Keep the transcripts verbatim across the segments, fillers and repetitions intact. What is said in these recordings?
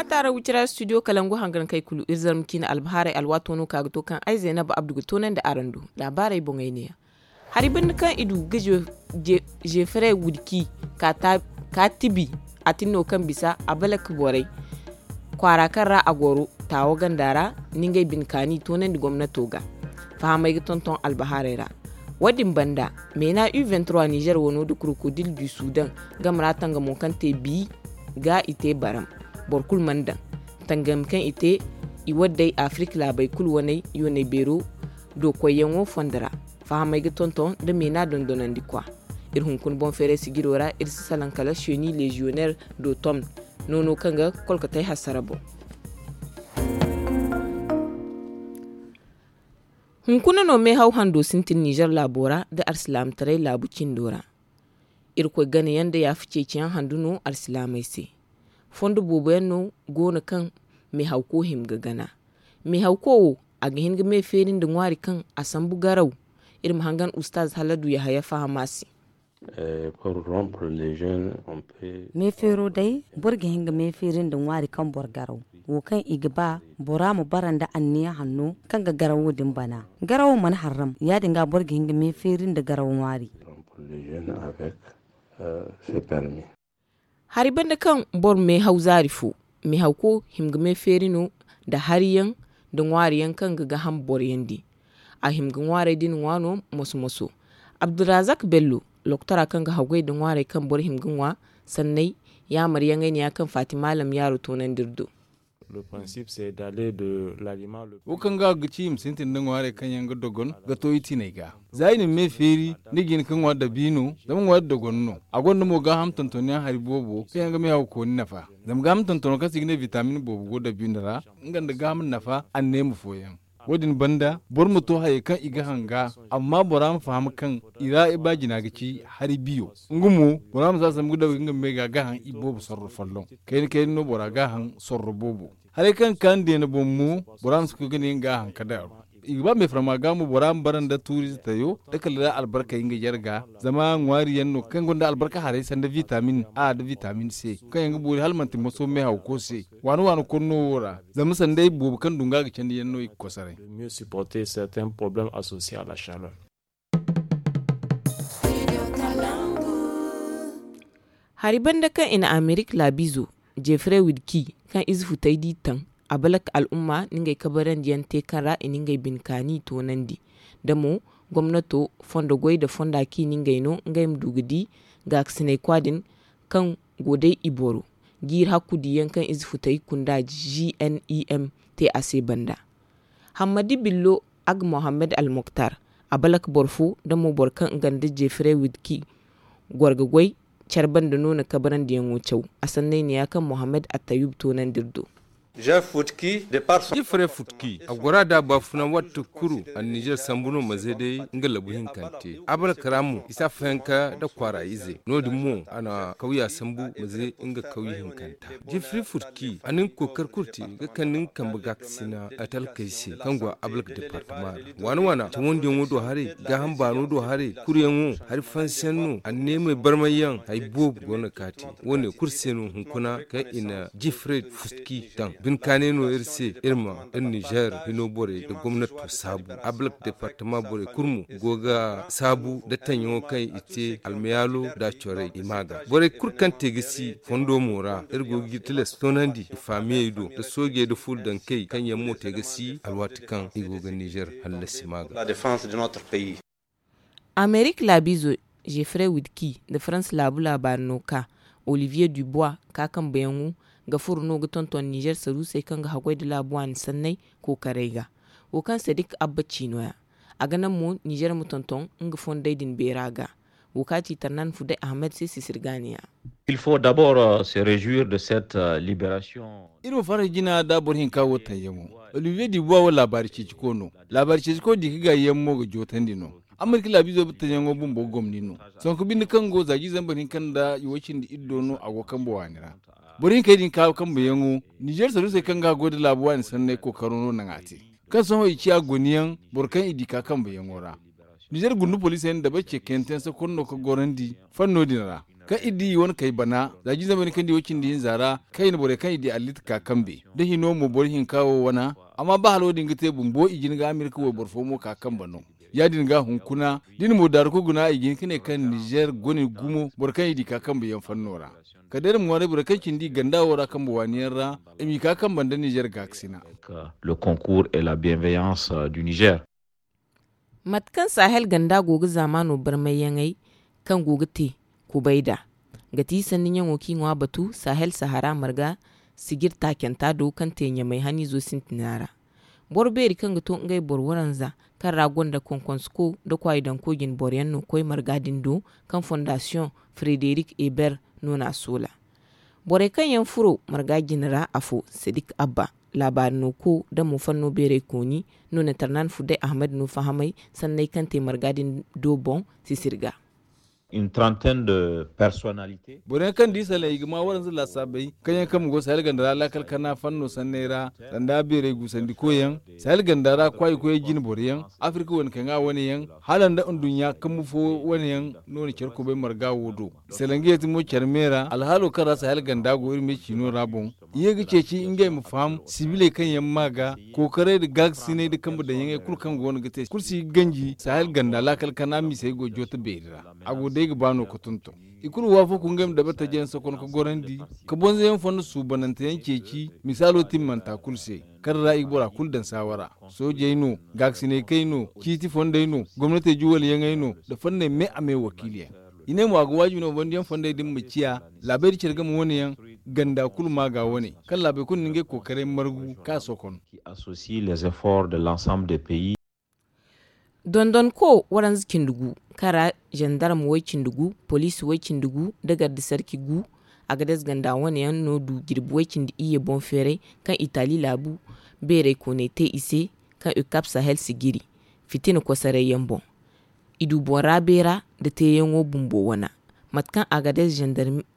Taara wicira studio kalangu hangan kay kulu iri zarma ciine albahaarey alwaato no ka ga to kaŋ ay zaynaba abdu ga toonandi araŋ do. Laabaarey boŋey neeya. Hari banda kaŋ i du ga jefere wudki ka tibi a tinno kaŋ bisa a balak borey kwaara kaŋ ra a goro taawo ganda ra, ni ngey bine kaani toonandi gomnato ga fahamey ga tonton albahaarey ra. Wo- din banda, meena u nizer wano nda krokodil du sudan game ra tangamo kaŋ te bi ga i te baram. Boro kulu mana daŋ tangami kaŋ i te i waddey afirik laabey kulu waney yooney beero do koyyaŋo fondo ra. Fahamey ga tonton nda meena dondonandi kwa. Iri hunkuna boŋ feeray sijiro ra iri si salaŋ kala seni leziyoner do tom noono kaŋ ga kolkatey hasara boŋ. Hunkuna no meehaw hando sintin nizer laabo ra nda alsilaamataray laabu cindo ra. Irkoy ganayaŋ nda yaafa ceeciyaŋ handu no alsilaamey se. Fondo boobo yaŋ no go no kaŋ meehawko hima ga gana. Meehawko wo, a ga hin ga me feeri nda ŋwaari kaŋ a sambu garaw. Iri ma hangan ustaaz haladu yahaya fahama se. Me feero day, boro ga hin ga me feeri nda ŋwaari kaŋ boro garaw, wo kaŋ i ga ba bora ma bara nda anniya hanno kaŋ ga garawo din bana. Garawo mana harram, ya- din ga boro ga hin ga me feeri nda garaw ŋwaari. Hari banda kaŋ boro meehaw zaari fo, meehawko hima ga me feeri no nda hariyaŋ nda ŋwaariyaŋ kaŋ ga gaham boroyaŋ di. A hima ga ŋwaarey din ŋwa no moso moso. Abdulrazak bello, loktora kaŋ ga haggoy nda ŋwaarey kaŋ boro hima ga ŋwa sanney yaamaryaŋey ne ya kaŋ fatima lamyaaro toonandi iri do. Wo kaŋ ga ga ci i ma sintin nda ŋwaarey kaŋ yaŋ ga dogon ga to i tiney ga. Za i na me feeri, ni ga hin ga ŋwa dabiino, zama ŋwaari dogon no. A gonda mo gaaham tontonyaŋ hari boobo kaŋ yaŋ ga meehaw kooni nafa. Zama gaaham tontono kaŋ se i ga ne bitamin boobo go dabiino ra, nga nda gaaham nafa anneema fooyaŋ. Wo- din banda boro ma to hayey kaŋ i ga hanga, amma bora ma faham kaŋ i ra i ba jina ga ci hari biyo. Nga mo, bora ma si a sambu ga daw nga ma bay ga a ga haŋ i boobo sorro folloŋ. Kayna kayna no bora ga haŋ sorro boobo. Haray kaŋ ga kaanu deena boŋ mo, bora ma si koy ga ne nga ga haŋ ka daaru. I ga ba meefarma ga mo bora ma bara nda tuuriize tayo nda kala da albarkey nga jarga. Zama ŋwaari yaŋ no kaŋ gonda albarka haray sanda vitamin a nda vitamin c, kaŋ yaŋ ga boori hala manti moso meehawko se. Waani waani konno wo ra, zama sanday boobo kaŋ du nga ga candi yaŋ no i ga kosoray. Hari banda kaŋ i na amerik laabiizo, jeffrey wilki, kaŋ ize futay di taŋ, a balak al'umma na ngey kabarandiyaŋ te kaŋ ra i na ngey bine kaani toonandi. Da mo gomnato fondo goy nda fonda kaŋ i na ngey no ngey ma du ga di gaakasinay kwa din, kaŋ go day i boro jiiri hakku diyaŋ kaŋ ize futay kunda g n i m te a se banda. Hammadi billo, ag mohammed almoktar, a balak boro fo da mo boro kaŋ nga nda jefrey wilki goro ga goy care banda no na kabarandiyaŋo caw. A sanney neeya kaŋ mohammed attayub toonandi iri do. Jeffrey futki, a gora da baafuna waati kulu a na nizer sambu no maze day nga labu hinkante a balak ra mo i si a fayanka nda kwaara ize no- din mo a na kawya sambu maze nga kawya hinkanta. Jeffrey futki a na nga kookari kulu te ga kande nga kambe gaakasina a talkey se kaŋ go a balak departama ra. Waana waana cawandiyaŋo do haray, gaaham baano do haray, kuryaŋo hari fansiyaŋ no anneemey barmayyaŋ hari boobo go no ga kaati. Wo- ne kulu se no hunkuna kaŋ i na jeffrey futki daŋ bine kaanay no iri se iri ma iri nizer hino borey nda gomnato saabu. A balak departama borey kulu mo go ga saabu nda taŋyaŋo kaŋ i te almayaalo nda a corey i ma ga borey kulu kaŋ te ga si fondo mo ra iri go ga tilas toonandi i faamiyey do nda soojey nda fuula dankey kaŋ yaŋ mo te ga si alwaati kaŋ i go ga nizer hallasi ma ga. Amerik laabiizo jeffrey wilki nda farans laabu laabaari no ka olivier dubois ka kambeyaŋo ga furo no ga tonton nizer saruusey kaŋ ga haggoy nda laabu waani sanney kookaray ga. Wo kaŋ sadik abba ci no- ya a ga naŋ mo nizer ma tonton nga fondey din beera ga. Wo kaŋ a ci tarnan fuday ahmed se sisir gaaniya. Iri ma farhã jina nda boro hinka wo taŋyaŋo. Olivier dubois wo laabaari ceeciko no. Laabaari ceeciko di ka gaayi yaŋ mo ga jootandi no. Amerika laabiizo batayaŋo bumbo gomni no. Sonko binde kaŋ go za jiizey boro hinka nda i wo cindi iddo no a go kambe waani ra. Boro hinkey din ka kambeyaŋo nizer saruusey kaŋ ga a goy nda laabu waani sanney kookaro no naŋ a te. Kaŋ sohõ i ciya goniyaŋ boro kaŋ i di ka kambeyaŋo ra. Nizer gundu poliisey nda dabari ce kayante yaŋ se kulu no ga gorandi fanno din ra. Kaŋ iri di i wane kay bana za jiizamey no kaŋ di way-cindi hinza ra, kayna borey kaŋ i di allit ka kambe da hino mo boro hinka wo wana. Amma ba hala wo- din ga te bumbo i jin ga amerika wayboro fo mo ka kambe no. Ya- din ga hunkuna da iri mo daaru ka guna i ga hin ka ne kaŋ nizer gone gumo boro kaŋ i di ka kambe yaŋ fanno ra. Kala day iri ma ŋwaaray borey kaŋ cindi i ganda wo ra kambe waani yaŋ ra, i m'i ka kambe nda nizer gaakasina. Le concours et la bienveillance du nizer. Mate kaŋ sahel ganda go ga zaamaano barmayyaŋey kaŋ go ga te kubay nd'a, ga ti sanni ɲaŋo kaŋ i ŋwa batu sahel sahara marga sijir taacanta do kaŋ te ɲamay haniizo sintina ra. Boro beeri kaŋ ga to ngey boro waranza kaŋ ra gonda konkonsko nda kwaayidanko jine boro yaŋ no koy marga din do, kaŋ fondasiyoŋ frederik eber no n'a soola. Borey kaŋ yaŋ furo marga jine ra afo sadik abba, laabaari no ko da mo fanno beerey kooni no na tarnan fudday ahmed no fahamay sanney kaŋ te marga din do boŋ sisiri ga. Boro yaŋ kaŋ di salaŋ i ga ma waranza laasaabey kaŋ yaŋ kambe go sahel ganda ra laakal kana fanno sanney ra, sanda beerey guusandikoy yaŋ, sahel ganda ra kwaayi koyey jine boro yaŋ, afirka wane kaŋ a wane yaŋ, hala nda nduɲɲa kambu fo wane yaŋ no na care kubay marga wo do. Salaŋ ga yeeti mo care me ra alhaalo kaŋ ra sahel ganda go iri me ciino ra boŋ. I ye ga ceeci ngey ma faham sibiley kaŋ yaŋ ma ga kookaray nda gaagasinay nda kambe daŋyaŋey kulu kaŋ go no ga te kulu si ga ganji sahel ganda laakal kana misey go joote beeri ra. A go day ga ba no ga tonton. I kulu waafako ngey ma dabartajeyaŋ sokon ga gorandi, ka bonzoyaŋ fondo suubananteyaŋ ceeci misaalo timmanta kulu se, kaŋ ra i ga bora kulu daŋ saawara. Soojey no, gaakasinay kay no, ciiti fondey no, gomnatey juwaliyaŋey no, nda fonney me a me wakiiliyaŋ. I ne mo a ga waajibi no bandiyaŋ fondey din ma ciya laabey nda care game wane yaŋ, ganda kulu ma ga wane, kaŋ laabey kulu na ngey kookaray margu ka sokon. Dondonko waranza cindi gu, kaŋ ra zandarma way-cindi gu, poliisi way-cindi gu, nda garde sarki gu. Agades ganda wane yaŋ no du jirbi way-cindi iyye boŋ feeray, kaŋ itali laabu beerey kooney te i se, kaŋ ukap sahel sijiri fitina kosaray yaŋ boŋ. I du boŋ ra beera nda teeyaŋo bumbo wana. Mate kaŋ agades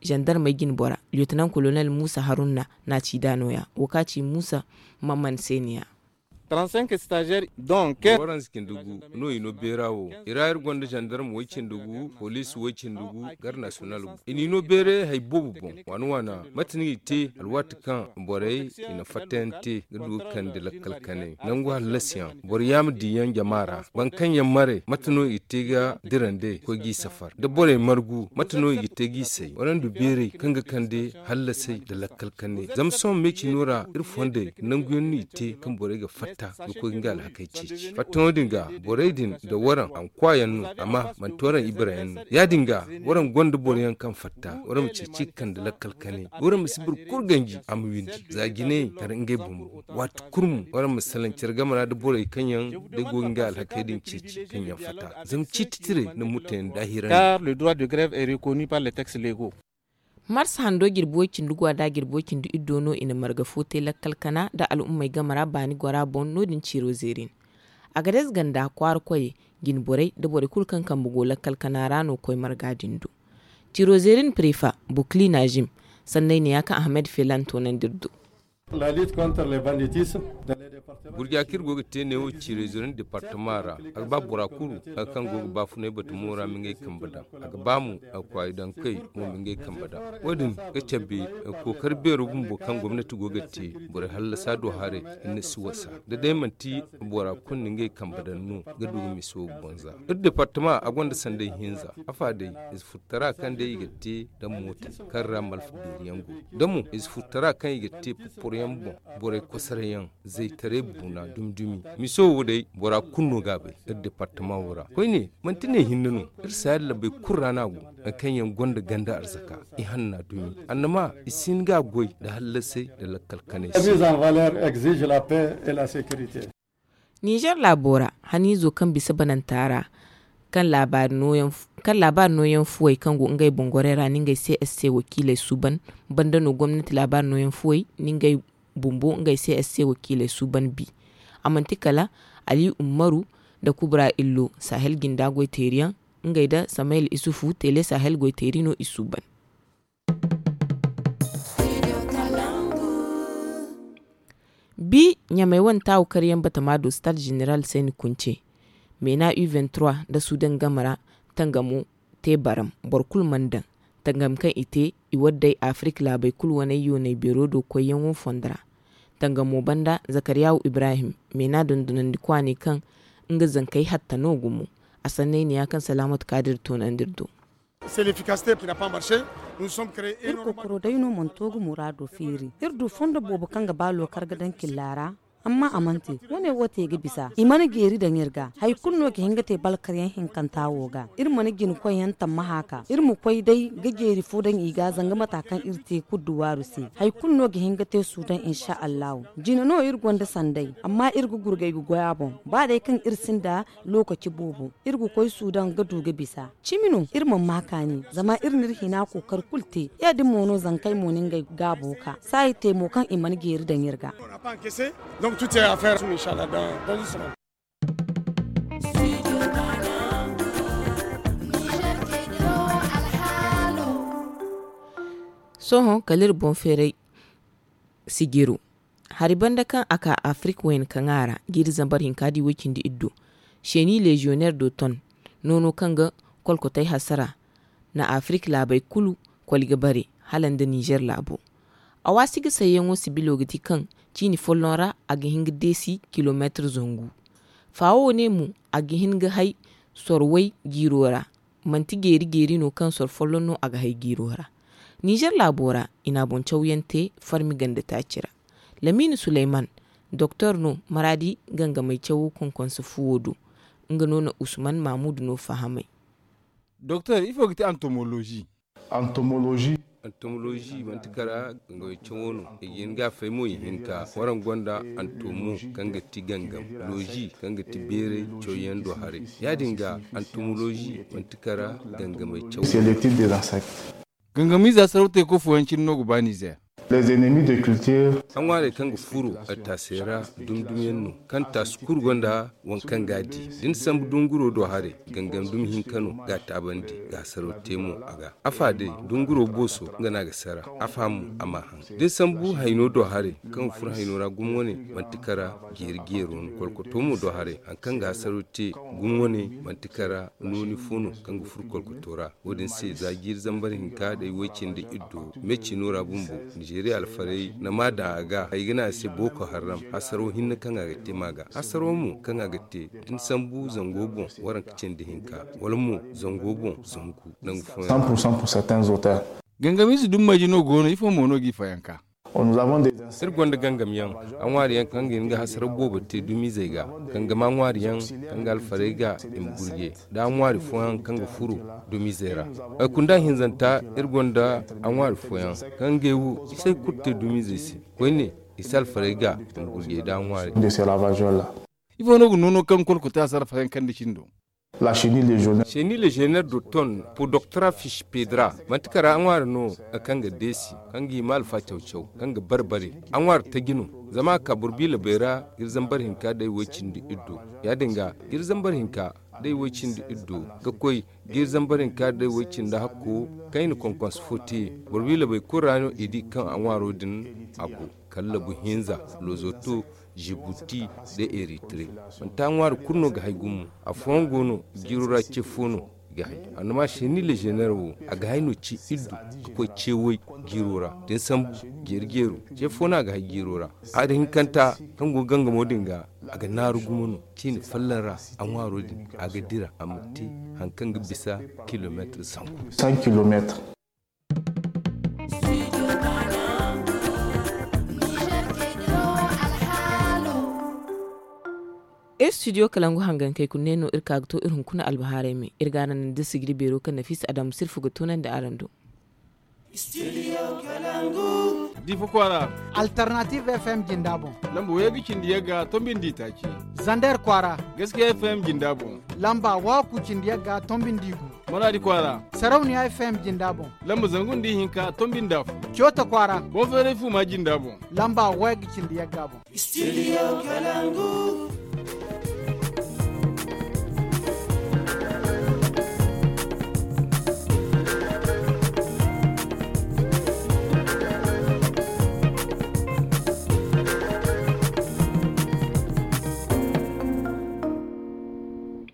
zandarmey jine bora liyotanan kolonel muusa harunna n'a ci da nooya wo ka ci muusa, mamman se ne ya. Waranza cindi gu no i no beera wo. I ra iri gonda zandarma way-cindi gu, poliisi way-cindi gu, gar nasiyonal gu i n'i no beeray hari boobo boŋ. Waana waana, mate no i te alwaati kaŋ borey i na fattayaŋ te ga du ga kande lakkal kanay nangu hallasiyaŋ, boro yaama diyaŋ jama ra. Boro kaŋ yaŋ maray mate no i te ga dira nd'ey ga koy g'i safar da borey margu mate no i ga te g'i say waraŋ du beeray kaŋ ga kande hallasay nda lakkal kanay. Zama sohõ me ciino ra iri fondey nanguyaŋ no i te kaŋ borey ga fatta ga koy ga nga alhakey ceeci fattaŋo din ga. Borey din nda waraŋ a ma kwaayaŋ no, amma manti waraŋ ibarayaŋ no. Ya- din ga waraŋ gonda boroyaŋ kaŋ fatta waraŋ ma ceeci ga kande lakkal kanay. Waraŋ ma si boro kulu ganji a ma windi za jinayey kala ngey bumbo. Waati kulu mo waraŋ ma salaŋ care game ra nda borey kaŋ yaŋ day go ga nga alhakey din ceeci kaŋ yaŋ fatta zama ciiti tiray nda mutayaŋ daahirandi. Mars hando jirbi way-cindi gwa da jirbi way-cindi iddo no i na marga fo te lakkal kana nda al'ummey game ra baani gora boŋ no- din ciiro zeerin. Agades ganda kwaara koyey, jine borey nda borey kulu kaŋ kambe go lakkal kana ra no koy marga din do. Ciiro zeerin prefa bukli najim sanney ne ya kaŋ ahmed felan toonandi iri do. Gurja kaŋ iri go ga te neewo ciiray zoro nda departama ra, a ga ba bora kulu kaŋ go ga baafunay batamo ra ma ngey kambe daŋ. A ga ba mo a ga kwaayi daŋ kay mo ma ngey kambe daŋ. Wo- din ga cabe kookari beero bumbo kaŋ gomnati go ga te borey hallasa do haray. Hinne si wasa da day manti bora kulu na ngey kambe daŋ no ga du ga miso ga bonza. Iri departama a gonda sanday hinza. Afa day i si furtara kaŋ day i ga te da mootey kaŋ ra malfa beeriyaŋ go da mo i si furtara kaŋ i ga te porporoyaŋ boŋ. Borey kosarayaŋ zaytaray buuna dumi-dumi. Miso wo day bora kulu no ga a bay. Iri departama wo ra koyne manti ne hinne no. Iri si yalla bay kulu ra no a go. Hari kaŋ yaŋ gonda ganda arzaka i hanna dumi annama i si hin ga a goy nda hallasay nda lakkal kanay se. Nizer laabo ra haniizo kaŋ bisa bananta ra kaŋ laabaari nooyaŋ fuwey kaŋ go ngey bongorey ra na ngey csc wakiiley suuban banda no gomnati laabaari nooyaŋ fuwey na ngey bumbo ngey csc wakiiley suuban bi. A manti kala ali ummaru nda kubra illo sahel jinda goyteeriyaŋ ngey nda samayel isufu tele sahel goyteeri no i suuban. Bi ɲamey wane taawu karyaŋ batama do stade general sayni kunce meena u nda sudan game ra tangamo te baram boro kulu mana daŋ. Tangam kaŋ i te, i waddey Afirik laabey kulu waney yooney beero do koyyaŋo fondo ra. Tangamo banda, Zakariyaawu Ibrahim, meena dondonandikwa ne kaŋ nga zankey hatta no gumo. A sanney ne ya kaŋ Salaamatu Kaadir toonandi iri do. Iri kokoro day no mana to ga muraado feeri. Iri du fondo boobo kaŋ ga ba lookar ga daŋ killa ra, amma a mana te. Wane wo te ga bisa, i mana jeeri daŋ iri ga. Hari kulu no ga hin ga te balkaryaŋ hinkanta wo ga. Iri mana jina koyyaŋ tammaha ka iri ma koy day ga jeeri fo daŋ i ga, zanga mata kaŋ iri te kulu duwaaru se. Hari kulu no ga hin ga te suudaŋ, insha allahu. Jina no iri gonda sanday, amma iri ga gurgay ga goy a boŋ. Ba day kaŋ iri sinda lookaci boobo, iri ga koy suudaŋ ga du ga bisa. Cimi no iri mana ma kaani, zama iri n'iri hina kookari kulu te. Ya- din mo no zankey mo na ngey gaabo ka saayi te mo kaŋ i mana jeeri daŋ iri ga. Sohõ kala iri boŋ feeray sijiro. Hari banda kaŋ a ka Afirik wayna kaŋa ra, jiiri zambar hinka da i way cindi iddu. Seeni leziyoneer do ton, noono kaŋ ga kolkotay hasara, na Afirik laabey kulu koli ga bare, hala nda Nizer laabo. A waasi ga sayyaŋo sibilo ga ti kaŋ ciini folloŋ ra a ga hin ga deesi kilomeetir zangu. Faawo ne mo, a ga hin ga hay sorway jiiro ra. Manti jeeri-jeeri no kaŋ soro folloŋ no a ga hay jiiro ra. Nizer laabo ra i na a boŋ cawyaŋ te farmi ganda taaci ra. Lamiini suleyman, doktor no maraadi gangamay cawo konkonsa fuwo do. Nga no na usman mamudu no fahamay. Doktor, ifo ga ti antomolozi? Antomolozi manti kara gangamay cawo no. I ga hin ga a fay mo i hinka waraŋ gonda antomo kaŋ ga ti gangam, lozi kaŋ ga ti beeray cawyaŋ do haray. Ya- din ga antomolozi manti kara gangamay cawo. Gangamiize hasaraw teeko fooyaŋ cine no ga ba nizeer. A ŋwaarey kaŋ ga furo attaasey ra dumi-dumi yaŋ no, kaŋ taasi kulu gonda waŋ kaŋ ga a di. Da ni sambu dunguro do haray, gangam dumi hinka no ga a taabandi, ga hasaraw te mo a ga. Afa day, dunguro booso nga no a ga sara. Afa mo a ma haŋ. Da ni sambu hayno do haray, kaŋ ga furo hayno ra gumo wane, manti kara jeeri-jeero no. Kolkoto mo do haray, hari kaŋ ga hasaraw te gumo wane, manti kara nooni fo no kaŋ ga furo kolkoto ra. Wo- din se za jiiri zambar hinka day way-cindi iddo me cino ra bumbo, nizeeriya alfarey na ma daŋ a ga, ay ga ne a se booko harram. Hasaro hinne kaŋ a ga te ma ga hasaro mo kaŋ a ga te da ni sambu zango boŋ waranka cindi hinka, wala mo zango boŋ zangu nangu fooyaŋ. Gangamiize dummayji no go no, ifo mo no g'i fayanka? Iri gonda gangamyaŋ, a ŋwaariyaŋ kaŋ ga hin ga hasaraw boobo te dumiizey ga. Gangama ŋwaariyaŋ kaŋ ga alfarey ga i ma gurje, da a ŋwaari fooyaŋ kaŋ ga furo dumiizey ra. Ay kunda hinzanta, iri gonda a ŋwaari fooyaŋ kaŋ ga ay wo i si ay kulu te dumiizey se. Koyne i si alfarey ga i ma gurje da a ŋwaari. Ifo no ga noono kaŋ kolkote a si alfarey kaŋ da cindo? Seeni leziyoneer do ton, podoktora fish pedra, manti kara a ŋwaari no kaŋ ga deesi, kaŋ ga hima alfa caw-caw, kaŋ ga bare-bare. A ŋwaari taji no, zama a ka boro biila bay ra jiiri zambar hinka day way-cindi iddo. Ya- din ga jiiri zambar hinka day way-cindi iddo ga koy jiiri zambar hinka day way-cindi hakko, kaŋ i na konkonse fo te. Boro biila bay kulu ra no i di kaŋ a ŋwaaro din a go, kala labu hinza, lozoto, jibuti, da eritire. Manti a ŋwaari kulu no ga hay gumo. Afooyaŋ go no jiiro ra ce fo no i ga hay. Annama seeni leziyoneer wo, a ga hay no ce iddu ga koy ce way jiiro ra. Da ni sambu jeeri-jeero, ce fo no a ga hay jiiro ra. Hari hinkanta kaŋ go gangamo din ga, a ga naaru gumo no. Ciine folloŋ ra a ŋwaaro din a ga dira a ma te hari kaŋ ga bisa kilomeetir zangu. Iri studio kalangu hangankey kulu ne no iri ka ga to iri hunkuna albahaarey me. Iri ga araŋ naŋ da sigiri beero kaŋ Nafisa Adamu Sirfu ga tunandi araŋ do. Difa kwaara. Alternative F M jinda boŋ. Lamba waygu cindi yagga tombindi taaci. Zander kwaara. Gaskiya F M jinda boŋ. Lamba waku cindi yagga tombindi gu. Maradi kwaara. Sarauniya F M jinda boŋ. Lamba zangu nda ihinka tombindi afo. Coota kwaara. Boŋ feeray fuma jinda boŋ. Lamba waygu cindi yagga boŋ. Studio Kalangu.